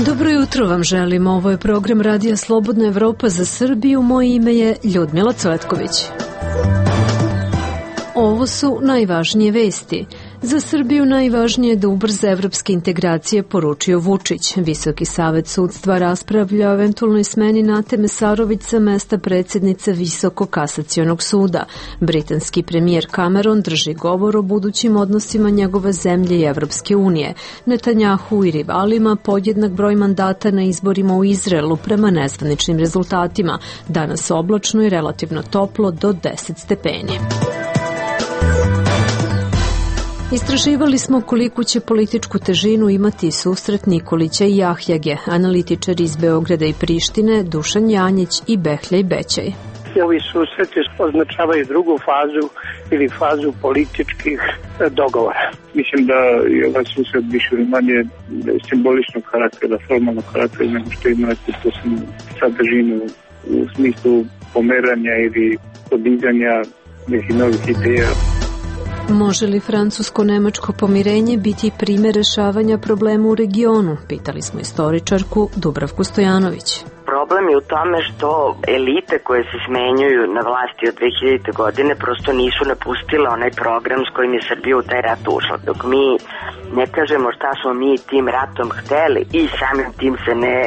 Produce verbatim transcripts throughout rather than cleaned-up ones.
Dobro jutro vam želim. Ovo je program Radija Slobodna Evropa za Srbiju. Moje ime je Ljudmila Cvetković. Ovo su najvažnije vesti. Za Srbiju najvažnije je da ubrza evropske integracije, poručio Vučić. Visoki savet sudstva raspravlja o eventualnoj smeni Nate Mesarović sa mesta predsjednice Visokog kasacionog suda. Britanski premijer Cameron drži govor o budućim odnosima njegove zemlje i Evropske unije. Netanjahu i rivalima podjednak broj mandata na izborima u Izraelu prema nezvaničnim rezultatima. Danas oblačno i relativno toplo do deset stepeni. Istraživali smo koliko će političku težinu imati susret Nikolića i Jahjage, analitičari iz Beograda i Prištine, Dušan Janjić i Behljaj Bećaj. Ovi susreti označavaju drugu fazu ili fazu političkih dogovora. Mislim da je ovaj susret više ili manje simboličnog karaktera, formalnog karaktera, nego što ima neku posebnu sadržinu u smislu pomeranja ili podizanja nekih novih ideja. Može li francusko-nemačko pomirenje biti primjer rešavanja problema u regionu? Pitali smo istoričarku Dubravku Stojanović. Problem je u tome što elite koje se smenjuju na vlasti od dve hiljadite godine prosto nisu napustile onaj program s kojim je Srbija u taj rat ušla. Dok mi ne kažemo šta smo mi tim ratom hteli i samim tim se ne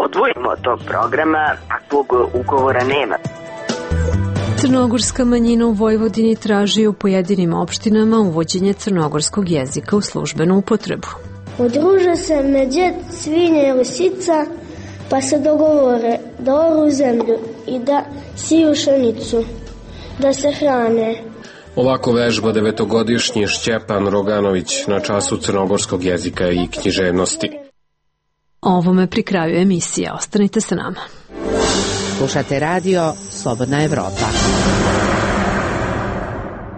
odvojimo od tog programa, takvog ugovora nema. Crnogorska manjina u Vojvodini traži u pojedinim opštinama uvođenje crnogorskog jezika u službenu upotrebu. Udruže se medvjed, svinja i lisica, pa se dogovore da oru zemlju i da siju pšenicu, da se hrane. Ovako vežba devetogodišnji Šćepan Roganović na času crnogorskog jezika i književnosti. Ovome pri kraju emisije. Ostanite sa nama. Slušate radio Slobodna Evropa.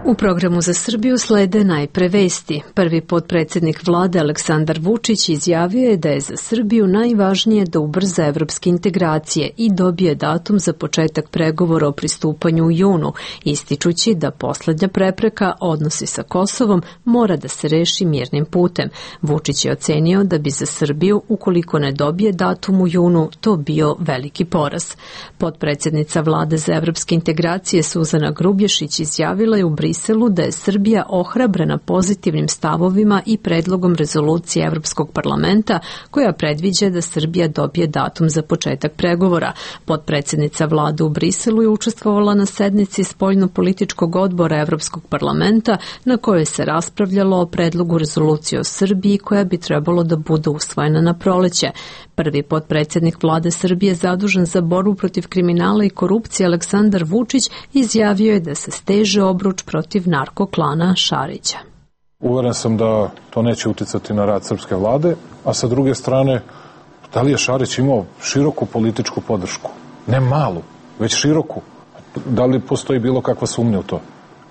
U programu za Srbiju slede najpre vesti. Prvi potpredsjednik vlade Aleksandar Vučić izjavio je da je za Srbiju najvažnije da ubrza evropske integracije i dobije datum za početak pregovora o pristupanju u junu, ističući da poslednja prepreka, odnosi sa Kosovom, mora da se reši mirnim putem. Vučić je ocenio da bi za Srbiju, ukoliko ne dobije datum u junu, to bio veliki poraz. Potpredsjednica vlade za evropske integracije Suzana Grubješić izjavila je u Briselu da je Srbija ohrabrena pozitivnim stavovima i predlogom rezolucije Evropskog parlamenta koja predviđa da Srbija dobije datum za početak pregovora. Potpredsjednica vlade u Briselu je učestvovala na sednici spoljno-političkog odbora Evropskog parlamenta na kojoj se raspravljalo o predlogu rezolucije o Srbiji koja bi trebalo da bude usvojena na proleće. Prvi potpredsjednik vlade Srbije zadužen za borbu protiv kriminala i korupcije Aleksandar Vučić izjavio je da se steže obruč protiv narkoklana Šarića. Uveren sam da to neće uticati na rad srpske vlade, a sa druge strane, da li je Šarić imao široku političku podršku? Ne malu, već široku. Da li postoji bilo kakva sumnja u to?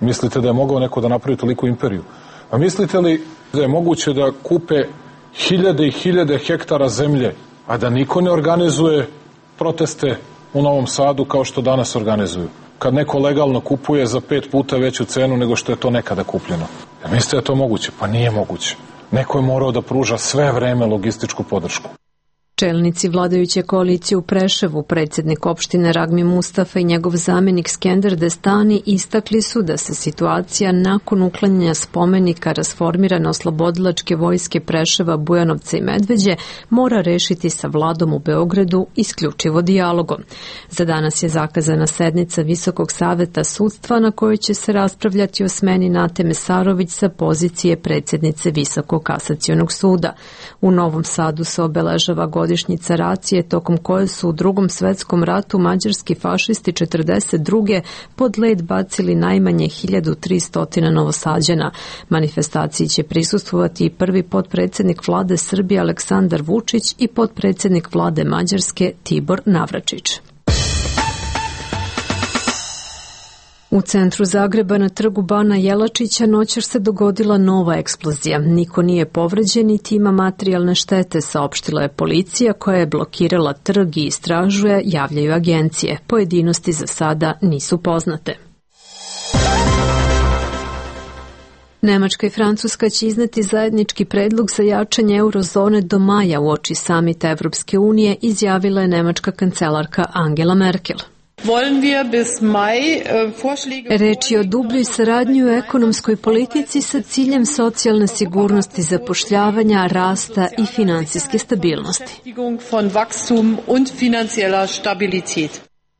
Mislite da je mogao neko da napravi toliku imperiju? A mislite li da je moguće da kupe hiljade i hiljade hektara zemlje, a da niko ne organizuje proteste u Novom Sadu kao što danas organizuju? Kad neko legalno kupuje za pet puta veću cenu nego što je to nekada kupljeno. Ja mislite da je to moguće? Pa nije moguće. Neko je morao da pruža sve vreme logističku podršku. Čelnici vladajuće koalicije u Preševu, predsjednik opštine Ragmi Mustafa i njegov zamjenik Skender Destani istakli su da se situacija nakon uklanjanja spomenika rasformirane oslobodilačke vojske Preševa, Bujanovca i Medveđe mora rešiti sa vladom u Beogradu isključivo dijalogom. Za danas je zakazana sednica Visokog saveta sudstva na kojoj će se raspravljati o smeni Nate Mesarović sa pozicije predsjednice Visokog kasacionog suda. U Novom Sadu se obeležava godišnjica racije tokom koje su u Drugom svetskom ratu mađarski fašisti četrdeset druge pod led bacili najmanje hiljadu tristo Novosađana. Manifestaciji će prisustvovati i prvi potpredsjednik vlade Srbije Aleksandar Vučić i potpredsjednik vlade Mađarske Tibor Navračić. U centru Zagreba na trgu Bana Jelačića noćas se dogodila nova eksplozija. Niko nije povređen niti ima materijalne štete, saopštila je policija koja je blokirala trg i istražuje, javljaju agencije. Pojedinosti za sada nisu poznate. Nemačka i Francuska će izneti zajednički predlog za jačanje eurozone do maja uoči samita Evropske unije, izjavila je nemačka kancelarka Angela Merkel. Reč je o dubljoj saradnji u ekonomskoj politici sa ciljem socijalne sigurnosti, zapošljavanja, rasta i finansijske stabilnosti.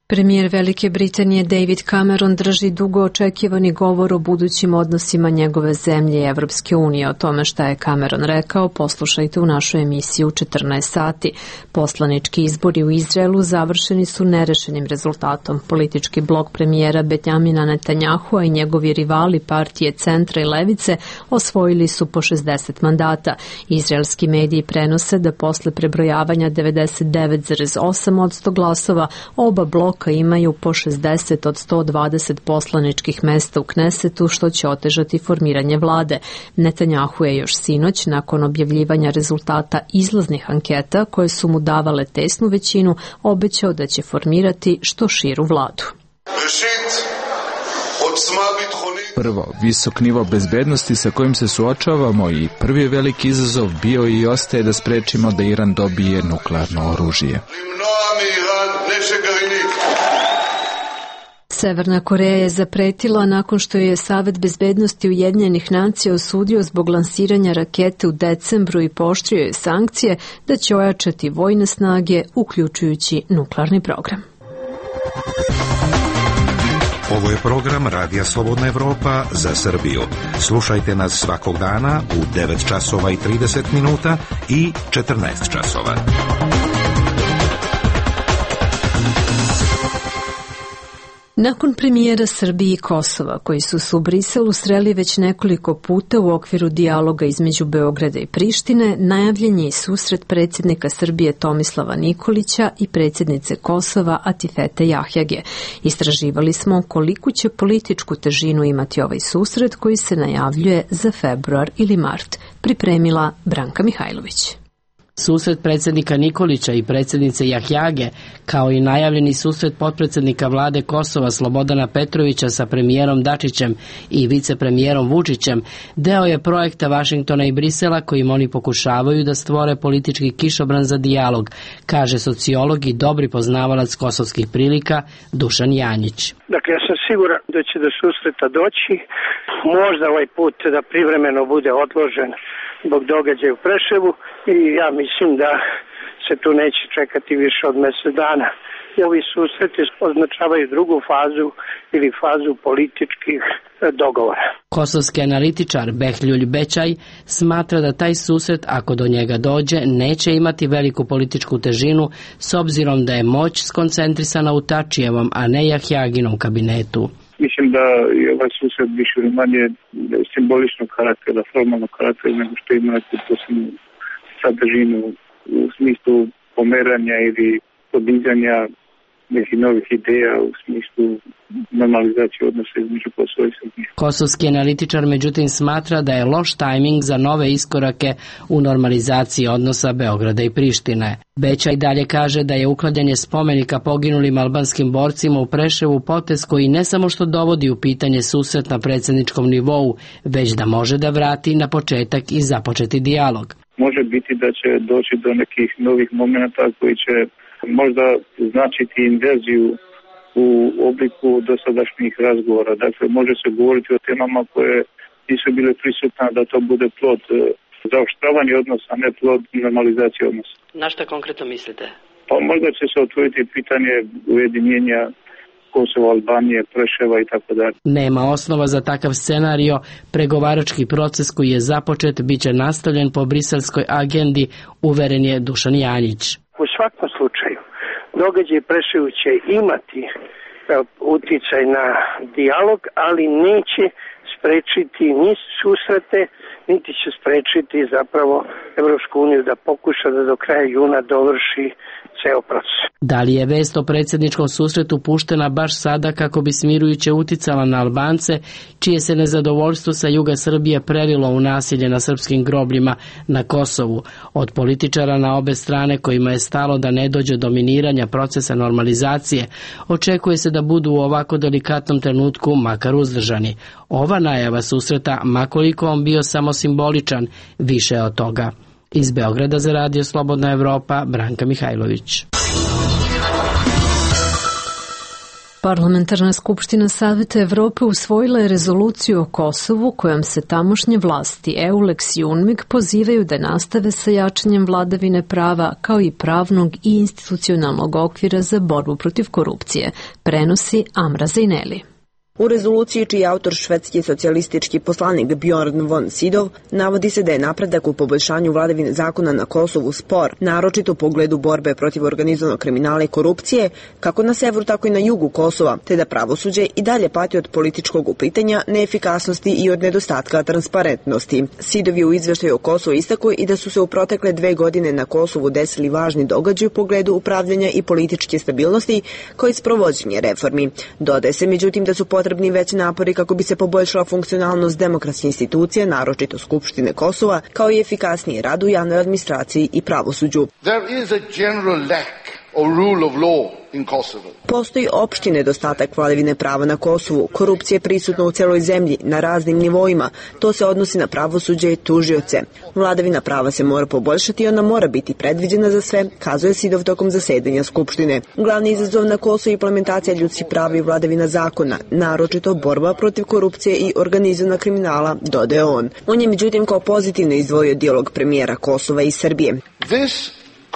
Premijer Velike Britanije David Cameron drži dugo očekivani govor o budućim odnosima njegove zemlje i Evropske unije. O tome šta je Cameron rekao, poslušajte u našoj emisiji u četrnaest sati. Poslanički izbori u Izraelu završeni su nerešenim rezultatom. Politički blok premijera Benjamina Netanyahua i njegovi rivali partije Centra i Levice osvojili su po šezdeset mandata. Izraelski mediji prenose da posle prebrojavanja devedeset devet zarez osam posto glasova oba bloka imaju po šezdeset od sto dvadeset poslaničkih mesta u Knesetu, što će otežati formiranje vlade. Netanjahu je još sinoć, nakon objavljivanja rezultata izlaznih anketa koje su mu davale tesnu većinu, obećao da će formirati što širu vladu. Prvo, visok nivo bezbednosti sa kojim se suočavamo i prvi veliki izazov bio i ostaje da sprečimo da Iran dobije nuklearno oružje. Severna Koreja je zapretila nakon što je Savet bezbednosti Ujedinjenih nacija osudio zbog lansiranja rakete u decembru i pooštrio je sankcije da će ojačati vojne snage, uključujući nuklearni program. Ovo je program Radija Slobodna Evropa za Srbiju. Slušajte nas svakog dana u devet časova i trideset minuta i četrnaest časova. Nakon premijera Srbije i Kosova, koji su se u Briselu sreli već nekoliko puta u okviru dijaloga između Beograda i Prištine, najavljen je i susret predsjednika Srbije Tomislava Nikolića i predsjednice Kosova Atifete Jahjage. Istraživali smo koliku će političku težinu imati ovaj susret koji se najavljuje za februar ili mart. Pripremila Branka Mihajlović. Susret predsjednika Nikolića i predsjednice Jahjage, kao i najavljeni susret potpredsjednika vlade Kosova Slobodana Petrovića sa premijerom Dačićem i vicepremijerom Vučićem, deo je projekta Vašingtona i Brisela kojim oni pokušavaju da stvore politički kišobran za dijalog, kaže sociolog i dobri poznavalac kosovskih prilika Dušan Janjić. Dakle, ja sam siguran da će do susreta doći, možda ovaj put da privremeno bude odložen zbog događaja u Preševu i ja mislim da se tu neće čekati više od mjesec dana. I ovi susreti označavaju drugu fazu ili fazu političkih dogovora. Kosovski analitičar Behljuj Bećaj smatra da taj susret, ako do njega dođe, neće imati veliku političku težinu s obzirom da je moć skoncentrisana u Tačijevom, a ne Jahjaginom kabinetu. Mislim da je ovaj susret više ili manje simboličnog karaktera, formalnog karaktera, nego što ima neku posebnu sadržinu u smislu pomeranja ili podizanja nekih novih ideja u smislu normalizacije odnosa između Kosova i Srbije. Kosovski analitičar međutim smatra da je loš tajming za nove iskorake u normalizaciji odnosa Beograda i Prištine. Beća i dalje kaže da je uklanjanje spomenika poginulim albanskim borcima u Preševu potez koji ne samo što dovodi u pitanje susret na predsjedničkom nivou, već da može da vrati na početak i započeti dijalog. Može biti da će doći do nekih novih momenata koji će možda značiti inverziju u obliku dosadašnjih razgovora. Dakle, može se govoriti o temama koje nisu bile prisutne, da to bude plod zaoštravanja odnosa, a ne plod normalizacije odnosa. Na šta konkretno mislite? Pa možda će se otvoriti pitanje ujedinjenja Kosova, Albanije, Preševa i tako dalje. Nema osnova za takav scenario. Pregovarački proces koji je započet biće nastavljen po briselskoj agendi, uveren je Dušan Janjić. U svakom slučaju, događaj Preševu će imati uticaj na dijalog, ali neće sprečiti ni susrete, niti će sprečiti zapravo Evropsku uniju da pokuša da do kraja juna dovrši ceo proces. Da li je vest o predsjedničkom susretu puštena baš sada kako bi smirujuće uticala na Albance, čije se nezadovoljstvo sa juga Srbije prelilo u nasilje na srpskim grobljima na Kosovu? Od političara na obe strane kojima je stalo da ne dođe do miniranja procesa normalizacije, očekuje se da budu u ovako delikatnom trenutku makar uzdržani. Ova najava susreta, makoliko on bio samo simboličan, više je od toga. Iz Beograda za Radio Slobodna Evropa, Branka Mihajlović. Parlamentarna skupština Saveta Evrope usvojila je rezoluciju o Kosovu kojom se tamošnje vlasti EULEX i UNMIK pozivaju da nastave sa jačanjem vladavine prava kao i pravnog i institucionalnog okvira za borbu protiv korupcije, prenosi Amra Zejneli. U rezoluciji, čiji je autor švedski socijalistički poslanik Bjorn von Sydow, navodi se da je napredak u poboljšanju vladavine zakona na Kosovu spor, naročito u pogledu borbe protiv organizovanog kriminala i korupcije, kako na severu, tako i na jugu Kosova, te da pravosuđe i dalje pati od političkog uplitanja, neefikasnosti i od nedostatka transparentnosti. Sydow je u izveštaju o Kosovu istakao i da su se u protekle dve godine na Kosovu desili važni događaji u pogledu upravljanja i političke stabilnosti, kao i sprovođenje reformi. Dodaje se, međutim, da su potrebni veći napori kako bi se poboljšala funkcionalnost demokratskih institucija, naročito Skupštine Kosova, kao i efikasniji rad u javnoj administraciji i pravosuđu. There is a general lack of rule of law in Kosovo. Postoji opšti nedostatak vladavine prava na Kosovu. Korupcija je prisutna u celoj zemlji, na raznim nivoima. To se odnosi na pravosuđe i tužioce. Vladavina prava se mora poboljšati i ona mora biti predviđena za sve, kazuje Sydow tokom zasedanja Skupštine. Glavni izazov na Kosovu je implementacija ljudskih prava i vladavina zakona, naročito borba protiv korupcije i organizovanog kriminala, dodaje on. On je međutim kao pozitivno izdvojio dijalog premijera Kosova i Srbije. This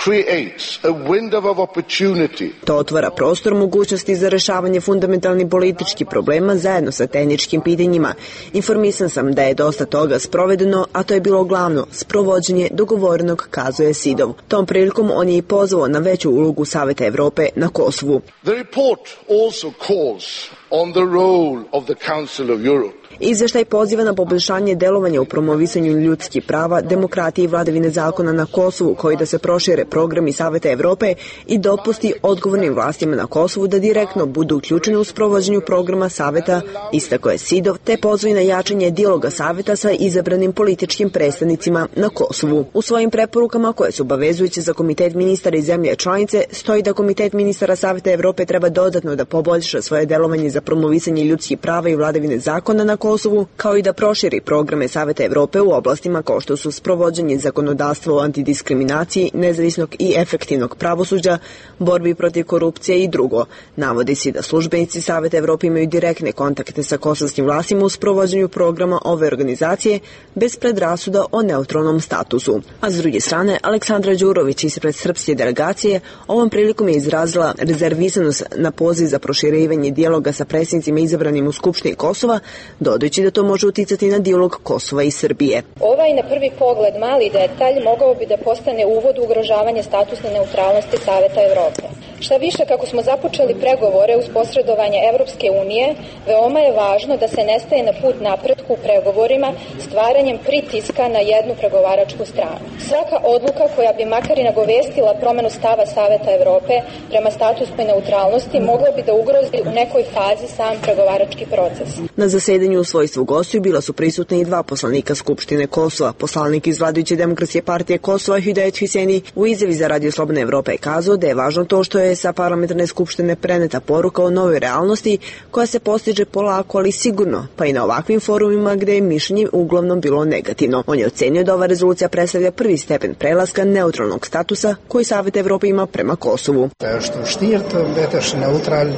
creates a window of opportunity. To otvara prostor mogućnosti za rešavanje fundamentalnih političkih problema zajedno sa tehničkim pitanjima. Informisan sam da je dosta toga sprovedeno, a to je bilo glavno, sprovođenje dogovorenog, kazuje Sydow. Tom prilikom on je i pozvao na veću ulogu Saveta Evrope na Kosovu. The report also calls on the role of the Council of Europe. Izveštaj poziva na poboljšanje delovanja u promovisanju ljudskih prava, demokratije i vladavine zakona na Kosovu, koji da se prošire programi Saveta Evrope i dopusti odgovornim vlastima na Kosovu da direktno budu uključeni u sprovođenju programa Saveta, istakao je Sydow, te pozvao na jačanje dijaloga Saveta sa izabranim političkim predstavnicima na Kosovu. U svojim preporukama, koje su obavezujuće za Komitet ministara i zemlje članice, stoji da Komitet ministara Saveta Evrope treba dodatno da poboljša svoje delovanje za promovisanje ljudskih prava i vladavine zakona na Kosovu, kao i da proširi programe Saveta Evrope u oblastima kao što su sprovođenje zakonodavstva o antidiskriminaciji, nezavisnog i efektivnog pravosuđa, borbi protiv korupcije i drugo. Navodi se da službenici Saveta Evrope imaju direktne kontakte sa kosovskim vlastima u sprovođenju programa ove organizacije bez predrasuda o neutralnom statusu. A s druge strane, Aleksandra Đurović ispred srpske delegacije ovom prilikom je izrazila rezervisanost na poziv za proširivanje dijaloga sa predsjednicima izabranim u Skupštini Kosova, dodajući da to može uticati na dijalog Kosova i Srbije. Ovaj na prvi pogled mali detalj mogao bi da postane uvod u ugrožavanje statusne neutralnosti Saveta Evrope. Šta više, kako smo započeli pregovore uz posredovanje Evropske unije, veoma je važno da se ne staje na put napretku u pregovorima stvaranjem pritiska na jednu pregovaračku stranu. Svaka odluka koja bi makar i nagovestila promenu stava Saveta Evrope prema statusnoj neutralnosti mogla bi da ugrozi u nekoj fazi sam pregovarački proces. Na zasedanju u svojstvu gostiju bila su prisutni i dva poslanika Skupštine Kosova. Poslanik iz vladajuće demokratske partije Kosova Hüdaet Hüseni u izjavi za Radio Slobodna Evropa je kazao da je važno to što je sa parlamentarne skupštine preneta poruka o novoj realnosti koja se postiže polako, ali sigurno, pa i na ovakvim forumima gde je mišljenje uglavnom bilo negativno. On je ocenio da ova rezolucija predstavlja prvi stepen prelaska neutralnog statusa koji Savet Evrope ima prema Kosovu.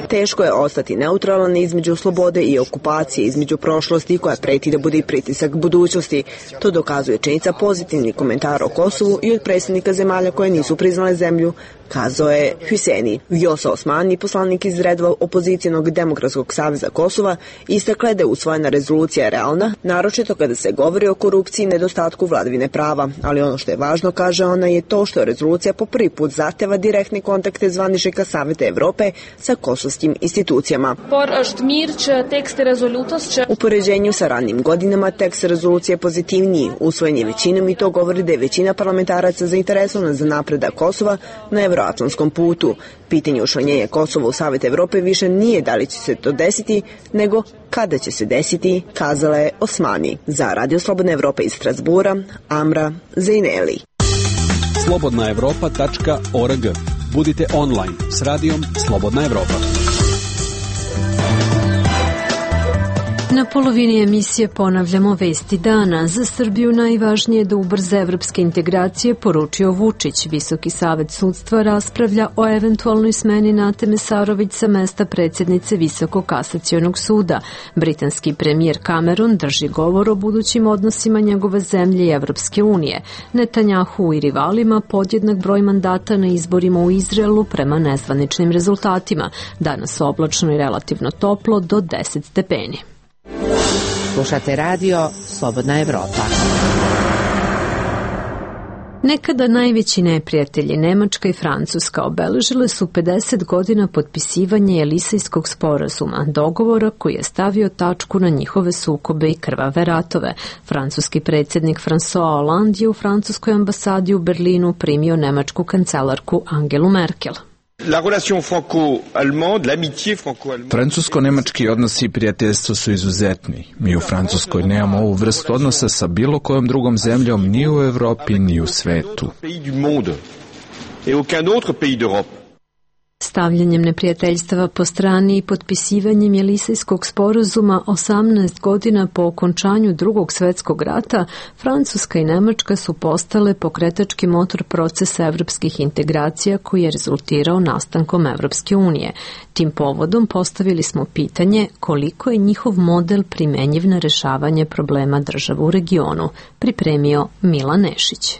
Teško je ostati neutralan između slobode i okupacije, između prošlosti koja preti da bude i pritisak budućnosti. To dokazuje činjenica pozitivnih komentara o Kosovu i od predstavnika zemalja koje nisu priznale zemlju, kazao je Hüseni. smeni. Vjosa Osmani, poslanik iz redova opozicijonog Demokratskog saveza Kosova, istakle da je usvojena rezolucija realna, naročito kada se govori o korupciji i nedostatku vladavine prava, ali ono što je važno, kaže ona, je to što rezolucija po prvi put zahteva direktne kontakte zvaničnika Saveta Evrope sa kosovskim institucijama. U poređenju sa ranijim godinama tekst rezolucije je pozitivniji, usvojen je većinom i to govori da je većina parlamentaraca zainteresovana za napredak Kosova na evroatlantskom putu. Pitanje učlanjenja Kosova u Savet Evrope više nije da li će se to desiti, nego kada će se desiti, kazala je Osmani. Za Radio Slobodna Evropa iz Strasbura, Amra Zejneli. slobodna evropa tačka org. Budite online s radijom Slobodna Evropa. Na polovini emisije ponavljamo vesti dana. Za Srbiju najvažnije je da ubrza evropske integracije, poručio Vučić. Visoki savet sudstva raspravlja o eventualnoj smeni Nate Mesarović sa mesta predsjednice Visokog kasacionog suda. Britanski premijer Cameron drži govor o budućim odnosima njegove zemlje i Evropske unije. Netanjahu i rivalima podjednak broj mandata na izborima u Izraelu prema nezvaničnim rezultatima. Danas oblačno i relativno toplo do deset stepeni. Slušate radio Slobodna Evropa. Nekada najveći neprijatelji Nemačka i Francuska obeležile su pedeset godina potpisivanja Jelisejskog sporazuma, dogovora koji je stavio tačku na njihove sukobe i krvave ratove. Francuski predsjednik François Hollande je u francuskoj ambasadi u Berlinu primio nemačku kancelarku Angelu Merkel. Francusko-nemački odnosi i prijateljstvo su izuzetni. Mi u Francuskoj nemamo ovu vrstu odnosa sa bilo kojom drugom zemljom ni u Evropi ni u svetu. Stavljanjem neprijateljstava po strani i potpisivanjem Jelisejskog sporazuma osamnaest godina po okončanju Drugog svjetskog rata, Francuska i Nemačka su postale pokretački motor procesa evropskih integracija koji je rezultirao nastankom Evropske unije. Tim povodom postavili smo pitanje koliko je njihov model primenjiv na rešavanje problema država u regionu, pripremio Milan Nešić.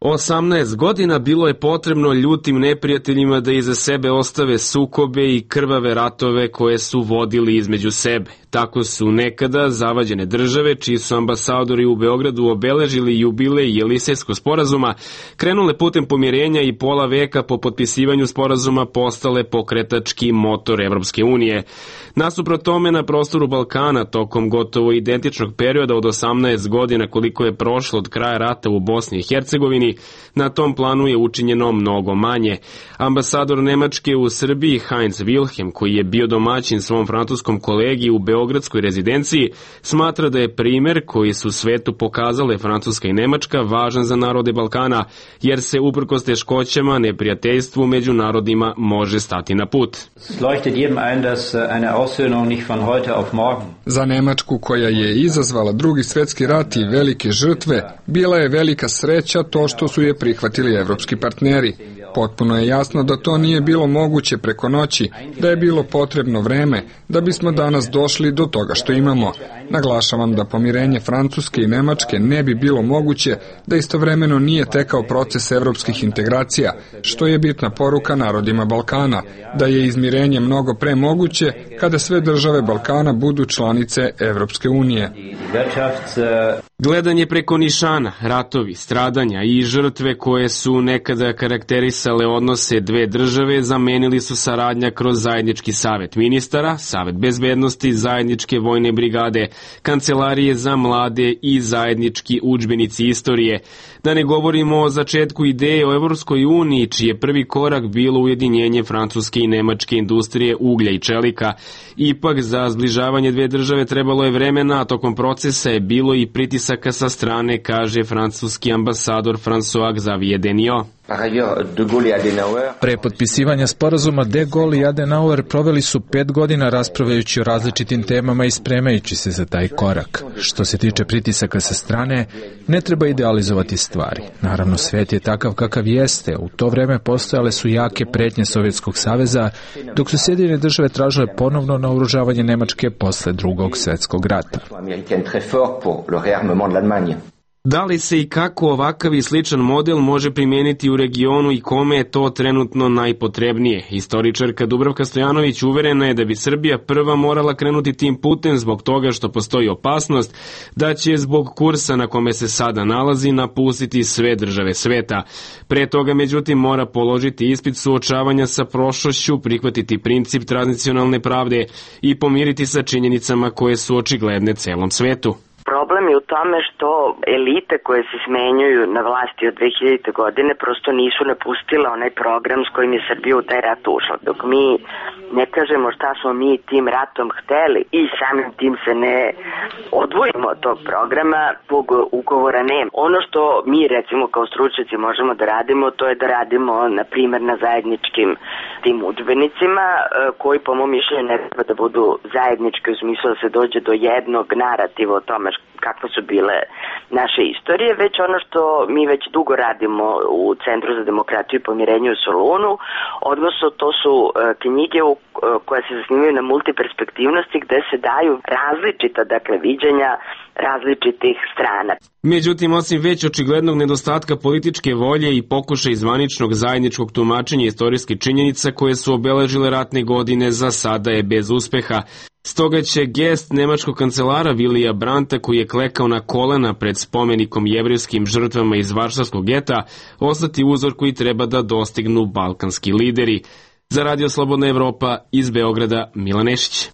osamnaest godina bilo je potrebno ljutim neprijateljima da iza sebe ostave sukobe i krvave ratove koje su vodili između sebe. Tako su nekada zavađene države, čiji su ambasadori u Beogradu obeležili jubilej Jelisejskog sporazuma, krenule putem pomirenja i pola veka po potpisivanju sporazuma postale pokretački motor Evropske unije. Nasuprot tome, na prostoru Balkana tokom gotovo identičnog perioda od osamnaest godina koliko je prošlo od kraja rata u Bosni i Hercegovini, na tom planu je učinjeno mnogo manje. Ambasador Nemačke u Srbiji Heinz Wilhelm, koji je bio domaćin svom francuskom kolegi u beogradskoj rezidenciji, smatra da je primer koji su svetu pokazale Francuska i Nemačka važan za narode Balkana, jer se uprkos teškoćama neprijateljstvu među narodima može stati na put. Za Nemačku, koja je izazvala Drugi svjetski rat i velike žrtve, bila je velika sreća to što su je prihvatili evropski partneri. Potpuno je jasno da to nije bilo moguće preko noći, da je bilo potrebno vreme da bismo danas došli do toga što imamo. Naglašavam da pomirenje Francuske i Nemačke ne bi bilo moguće da istovremeno nije tekao proces evropskih integracija, što je bitna poruka narodima Balkana, da je izmirenje mnogo pre moguće kada sve države Balkana budu članice Evropske unije. Gledanje preko nišana, ratovi, stradanja i žrtve koje su nekada karakterisale odnose dve države zamenili su saradnja kroz zajednički savet ministara, savet bezbednosti, zajedničke vojne brigade, kancelarije za mlade i zajednički udžbenici istorije. Da ne govorimo o začetku ideje o Evropskoj uniji, čiji je prvi korak bilo ujedinjenje francuske i nemačke industrije uglja i čelika. Ipak za zbližavanje dve države trebalo je vremena, a tokom procesa je bilo i pritisaka sa strane, kaže francuski ambasador François Xavier Deniot. Pre potpisivanja sporazuma De Gaulle i Adenauer proveli su pet godina raspravljajući o različitim temama i spremajući se za taj korak. Što se tiče pritisaka sa strane, ne treba idealizovati stvari. Naravno, svet je takav kakav jeste. U to vreme postojale su jake pretnje Sovjetskog saveza, dok su Sjedinjene države tražile ponovno naoružavanje Nemačke posle Drugog svjetskog rata. Da li se i kako ovakav i sličan model može primijeniti u regionu i kome je to trenutno najpotrebnije? Historičarka Dubravka Stojanović uverena je da bi Srbija prva morala krenuti tim putem zbog toga što postoji opasnost da će zbog kursa na kome se sada nalazi napustiti sve države sveta. Pre toga, međutim, mora položiti ispit suočavanja sa prošlošću, prihvatiti princip tradicionalne pravde i pomiriti sa činjenicama koje su očigledne celom svetu. Problem je u tome što elite koje se smenjuju na vlasti od dve hiljadite godine prosto nisu napustile onaj program s kojim je Srbija u taj rat ušla. Dok mi ne kažemo šta smo mi tim ratom hteli i samim tim se ne odvojimo od tog programa, tog ugovora nema. Ono što mi recimo kao stručnjaci možemo da radimo, to je da radimo na primjer na zajedničkim tim udžbenicima koji po mom mišljenju ne treba da budu zajednički u smislu da se dođe do jednog narativa o tome kakve su bile naše istorije, već ono što mi već dugo radimo u Centru za demokratiju i pomirenje u Solunu, odnosno to su knjige koje se zasnivaju na multiperspektivnosti gde se daju različita, dakle, viđenja različitih strana. Međutim, osim već očiglednog nedostatka političke volje i pokušaja zvaničnog zajedničkog tumačenja istorijskih činjenica koje su obeležile ratne godine, za sada je bez uspeha. Stoga će gest nemačkog kancelara Vilija Brandta, koji je klekao na kolena pred spomenikom jevrejskim žrtvama iz Varšavskog geta, ostati uzor koji treba da dostignu balkanski lideri. Za Radio Slobodna Evropa iz Beograda, Milan Nešić.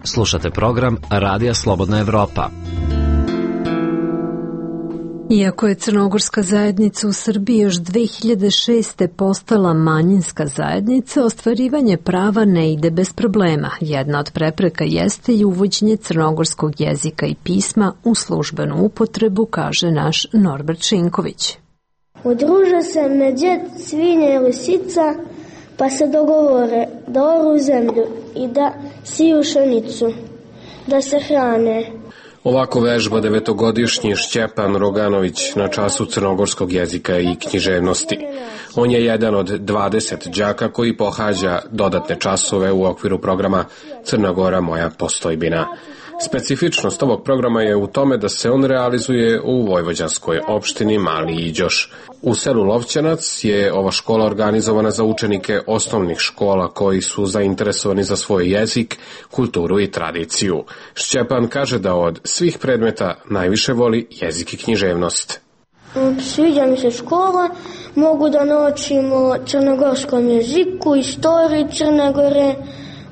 Slušate program Radija Slobodna Evropa. Iako je crnogorska zajednica u Srbiji još dve hiljade šeste. postala manjinska zajednica, ostvarivanje prava ne ide bez problema. Jedna od prepreka jeste i uvođenje crnogorskog jezika i pisma u službenu upotrebu, kaže naš Norbert Šinković. Udruže se medvjed, svinja i lisica, pa se dogovore da oru zemlju i da siju pšenicu, da se hrane. Ovako vežba devetogodišnji Šćepan Roganović na času crnogorskog jezika i književnosti. On je jedan od dvadeset đaka koji pohađa dodatne časove u okviru programa Crna Gora moja postojbina. Specifičnost ovog programa je u tome da se on realizuje u vojvođanskoj opštini Mali Iđoš. U selu Lovćanac je ova škola organizovana za učenike osnovnih škola koji su zainteresovani za svoj jezik, kulturu i tradiciju. Šćepan kaže da od svih predmeta najviše voli jezik i književnost. Sviđa mi se škola, mogu da naučim o crnogorskom jeziku, istoriji Crne Gore,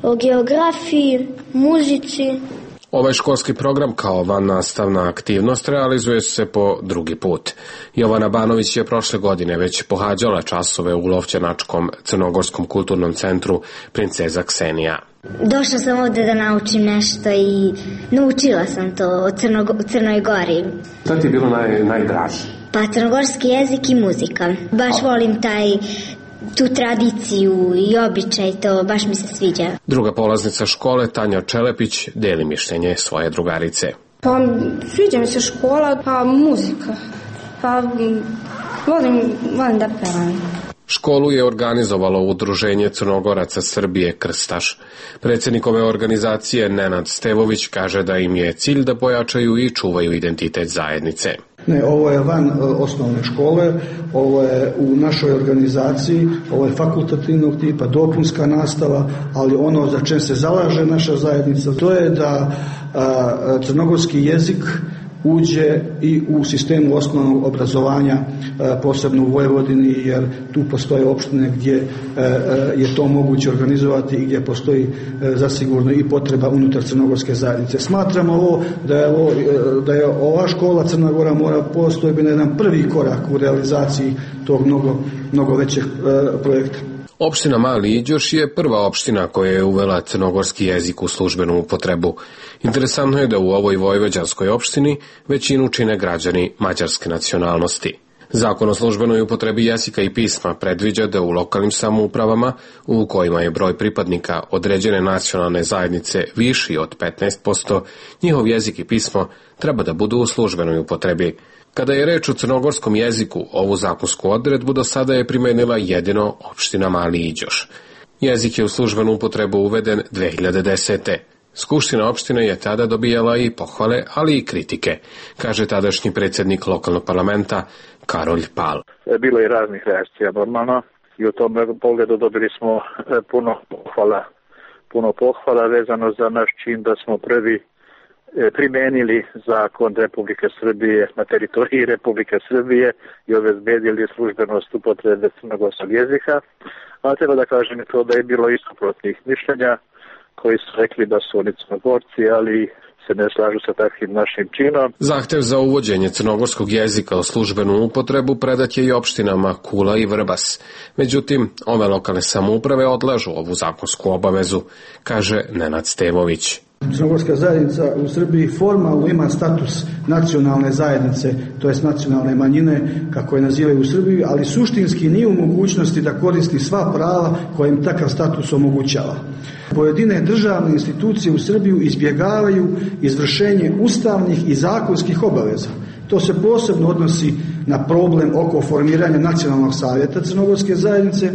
o geografiji, muzici. Ovaj školski program kao vannastavna aktivnost realizuje se po drugi put. Jovana Banović je prošle godine već pohađala časove u Lovćanačkom crnogorskom kulturnom centru Princeza Ksenija. Došla sam ovde da naučim nešto i naučila sam to o Crno, Crnoj Gori. Šta ti je bilo naj, najdraže? Pa crnogorski jezik i muzika. Baš volim taj tu tradiciju i običaj, to baš mi se sviđa. Druga polaznica škole, Tanja Čelepić, deli mišljenje svoje drugarice. Pa sviđa mi se škola, pa muzika. Pa volim, volim da pevam. Školu je organizovalo Udruženje Crnogoraca Srbije Krstaš. Predsjednik ove organizacije Nenad Stevović kaže da im je cilj da pojačaju i čuvaju identitet zajednice. Ne, ovo je van osnovne škole, ovo je u našoj organizaciji, ovo je fakultativnog tipa, dopunska nastava, ali ono za čem se zalaže naša zajednica, to je da a, crnogorski jezik uđe i u sistemu osnovnog obrazovanja, posebno u Vojvodini, jer tu postoje opštine gdje je to moguće organizovati i gdje postoji zasigurno i potreba unutar crnogorske zajednice. Smatramo ovo da je, ovo, da je ova škola Crna Gora mora postojbina jedan prvi korak u realizaciji tog mnogo, mnogo većeg projekta. Opština Mali Iđoš je prva opština koja je uvela crnogorski jezik u službenu upotrebu. Interesantno je da u ovoj vojvođanskoj opštini većinu čine građani mađarske nacionalnosti. Zakon o službenoj upotrebi jezika i pisma predviđa da u lokalnim samoupravama, u kojima je broj pripadnika određene nacionalne zajednice viši od petnaest posto, njihov jezik i pismo treba da budu u službenoj upotrebi. Kada je reč o crnogorskom jeziku, ovu zakonsku odredbu do sada je primenila jedino opština Mali Iđoš. Jezik je u službenu upotrebu uveden dve hiljade desete. Skupština opštine je tada dobijala i pohvale, ali i kritike, kaže tadašnji predsjednik lokalnog parlamenta Karolj Pal. Bilo je raznih reakcija normalno i u tom pogledu dobili smo puno pohvala, puno pohvala vezano za naš čin da smo prvi primenili zakon Republike Srbije na teritoriji Republike Srbije i obezbedili službenost upotrebe crnogorskog jezika, a treba da kažem to da je bilo i suprotnih mišljenja koji su rekli da su oni Crnogorci, ali se ne slažu sa takvim našim činom. Zahtev za uvođenje crnogorskog jezika u službenu upotrebu predat je i opštinama Kula i Vrbas. Međutim, ove lokalne samouprave odlažu ovu zakonsku obavezu, kaže Nenad Stevović. Crnogorska zajednica u Srbiji formalno ima status nacionalne zajednice, to jest nacionalne manjine, kako je nazivaju u Srbiji, ali suštinski nije u mogućnosti da koristi sva prava koje im takav status omogućava. Pojedine državne institucije u Srbiju izbjegavaju izvršenje ustavnih i zakonskih obaveza. To se posebno odnosi na problem oko formiranja nacionalnog savjeta crnogorske zajednice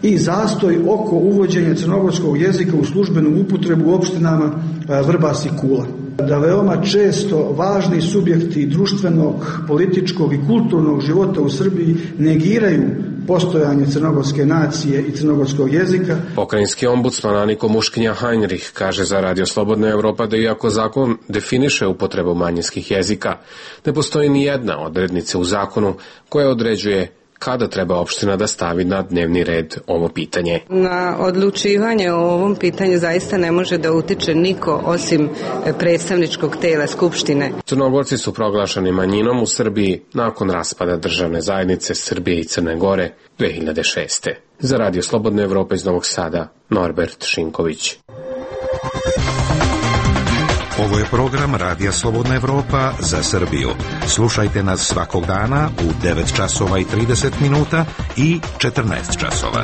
i zastoj oko uvođenja crnogorskog jezika u službenu upotrebu u opštinama Vrbas i Kula. Da veoma često važni subjekti društvenog, političkog i kulturnog života u Srbiji negiraju postojanje crnogorske nacije i crnogorskog jezika. Pokrajinski ombudsman Aniko Muškinja Heinrich kaže za Radio Slobodna Evropa da iako zakon definiše upotrebu manjinskih jezika, ne postoji ni jedna odrednica u zakonu koja određuje kada treba opština da stavi na dnevni red ovo pitanje. Na odlučivanje o ovom pitanju zaista ne može da utiče niko osim predstavničkog tela Skupštine. Crnogorci su proglašeni manjinom u Srbiji nakon raspada državne zajednice Srbije i Crne Gore dve hiljade šeste. Za Radio Slobodna Evropa iz Novog Sada, Norbert Šinković. Ovo je program Radija Slobodna Evropa za Srbiju. Slušajte nas svakog dana u devet časova i trideset minuta i četrnaest časova.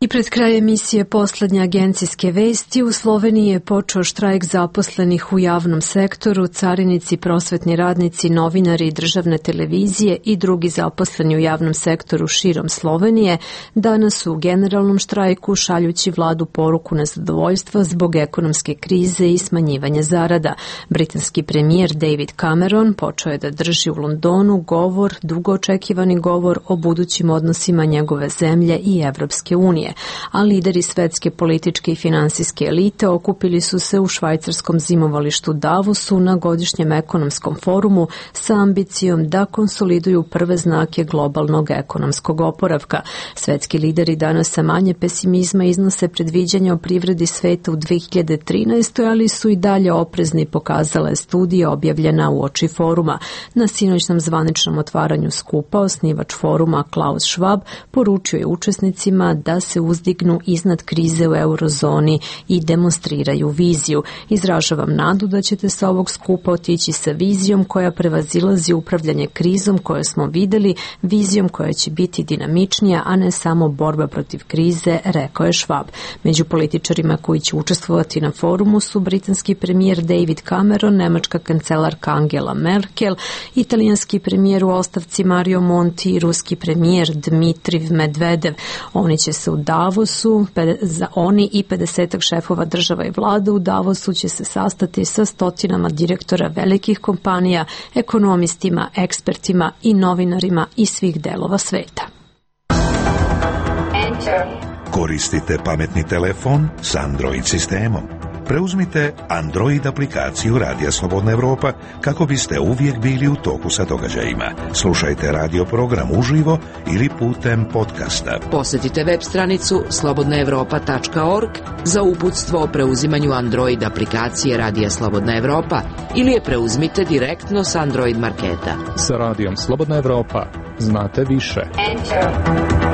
I pred kraj emisije poslednje agencijske vesti, u Sloveniji je počeo štrajk zaposlenih u javnom sektoru, carinici, prosvetni radnici, novinari, državne televizije i drugi zaposleni u javnom sektoru širom Slovenije danas su u generalnom štrajku šaljući vladu poruku nezadovoljstva zbog ekonomske krize i smanjivanja zarada. Britanski premijer David Cameron počeo je da drži u Londonu govor, dugo očekivani govor o budućim odnosima njegove zemlje i Evropske unije, a lideri svetske političke i finansijske elite okupili su se u švajcarskom zimovalištu Davosu na godišnjem ekonomskom forumu sa ambicijom da konsoliduju prve znake globalnog ekonomskog oporavka. Svetski lideri danas sa manje pesimizma iznose predviđanja o privredi sveta u dve hiljade trinaestoj. ali su i dalje oprezni, pokazala je studija objavljena u oči foruma. Na sinoćnom zvaničnom otvaranju skupa osnivač foruma Klaus Schwab poručio je učesnicima da se uzdignu iznad krize u eurozoni i demonstriraju viziju. Izražavam nadu da ćete sa ovog skupa otići sa vizijom koja prevazilazi upravljanje krizom koje smo videli, vizijom koja će biti dinamičnija, a ne samo borba protiv krize, rekao je Schwab. Među političarima koji će učestvovati na forumu su britanski premijer David Cameron, nemačka kancelarka Angela Merkel, italijanski premijer u ostavci Mario Monti i ruski premijer Dmitriv Medvedev. Oni će se u Davosu, za oni i pedesetak šefova država i vlada u Davosu će se sastati sa stotinama direktora velikih kompanija, ekonomistima, ekspertima i novinarima iz svih delova sveta. Koristite pametni telefon s Android sistemom. Preuzmite Android aplikaciju Radija Slobodna Evropa kako biste uvijek bili u toku sa događajima. Slušajte radio program uživo ili putem podcasta. Posjetite web stranicu slobodna evropa tačka org za uputstvo o preuzimanju Android aplikacije Radija Slobodna Evropa ili je preuzmite direktno s Android marketa. Sa Radijom Slobodna Evropa znate više. Enter.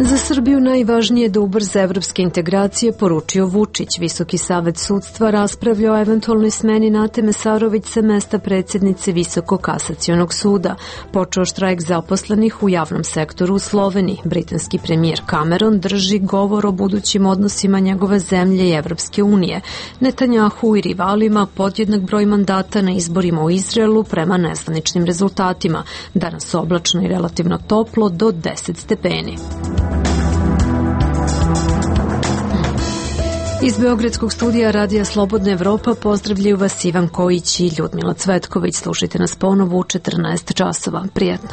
Za Srbiju najvažnije je da ubrza evropske integracije, poručio Vučić. Visoki savet sudstva raspravlja o eventualnoj smeni Nate Mesarović sa mesta predsjednice Visokog kasacionog suda. Počeo štrajk zaposlenih u javnom sektoru u Sloveniji. Britanski premijer Cameron drži govor o budućim odnosima njegove zemlje i Evropske unije. Netanjahu i rivalima podjednak broj mandata na izborima u Izraelu prema nezvaničnim rezultatima. Danas oblačno i relativno toplo do deset stepeni. Iz Beogradskog studija Radija Slobodna Evropa pozdravljaju vas Ivan Kojić i Ljudmila Cvetković. Slušajte nas ponovo u četrnaest časova. Prijetno.